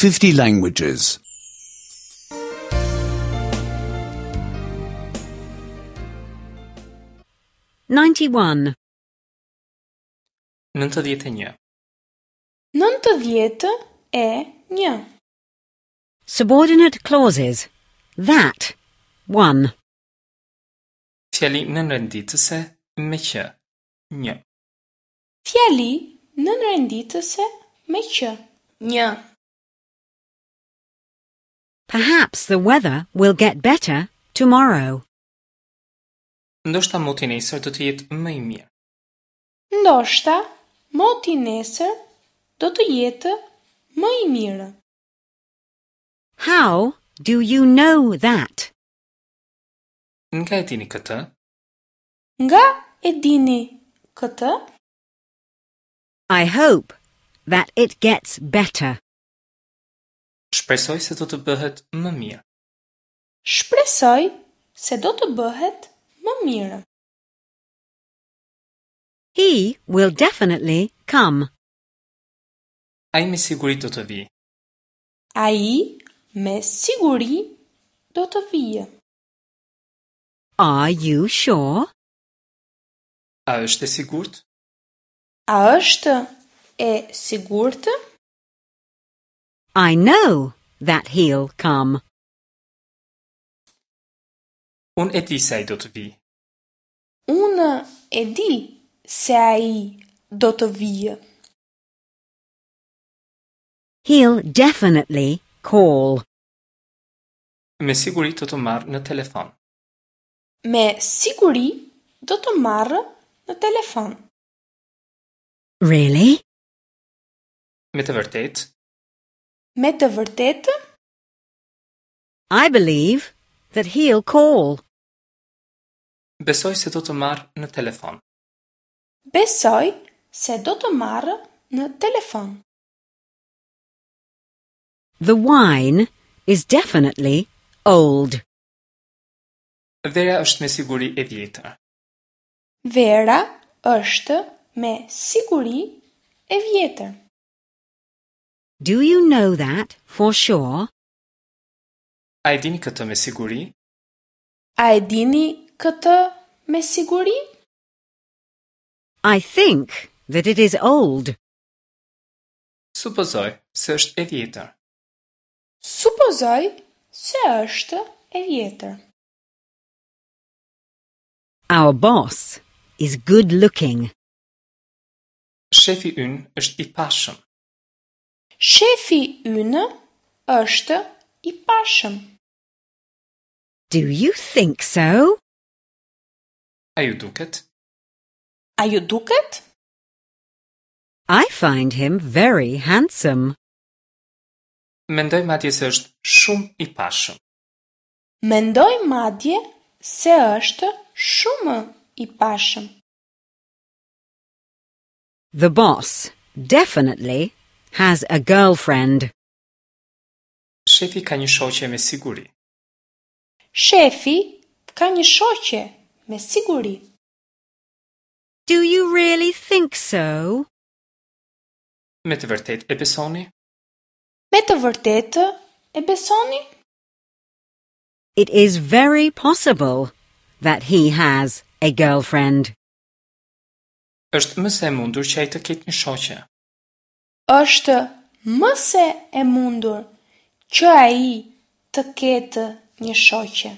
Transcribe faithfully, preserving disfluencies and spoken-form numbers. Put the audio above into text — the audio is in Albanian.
fifty languages. ninety-one. Nëntëdhjetë e një. Nëntëdhjetë e një. Subordinate clauses. That. one. Fjali nënrenditëse me që. Një. Fjali nënrenditëse me që. Një. Perhaps the weather will get better tomorrow. Ndoshta moti nesër do të jetë më i mirë. Ndoshta moti nesër do të jetë më i mirë. How do you know that? Nga e dini këtë? Nga e dini këtë? I hope that it gets better. Shpresoj se do të bëhet më mirë. Shpresoj se do të bëhet më mirë. He will definitely come. Ai me siguri do të vijë. Ai me siguri do të vijë. Are you sure? A është e sigurt? A është e sigurt? I know that he'll come. Unë e di se ai do të vijë. Unë e di se ai do të vijë. He'll definitely call. Me siguri do të marrë në telefon. Me siguri do të marrë në telefon. Really? Me të vërtetë? Me të vërtetë? I believe that he'll call. Besoj se do të marrë në telefon. Besoj se do të marrë në telefon. The wine is definitely old. Vera është me siguri e vjetër. Vera është me siguri e vjetër. Do you know that for sure? A e dini këtë me siguri? A e dini këtë me siguri? I think that it is old. Supozoj se është e vjetër. Supozoj se është e vjetër. Our boss is good looking. Shefi ynë është i pashëm. Shefi ynë është i pashëm. Do you think so? A ju duket? A ju duket? I find him very handsome. Mendoj madje se është shumë i pashëm. Mendoj madje se është shumë i pashëm. The boss definitely has a girlfriend. Shefi ka një shoqe me siguri. Shefi ka një shoqe me siguri. Do you really think so? Me të vërtetë e besoni? Me të vërtetë e besoni? It is very possible that he has a girlfriend. Është më se e mundur që ai të ketë një shoqe. Është më se e mundur që ai të ketë një shoqe.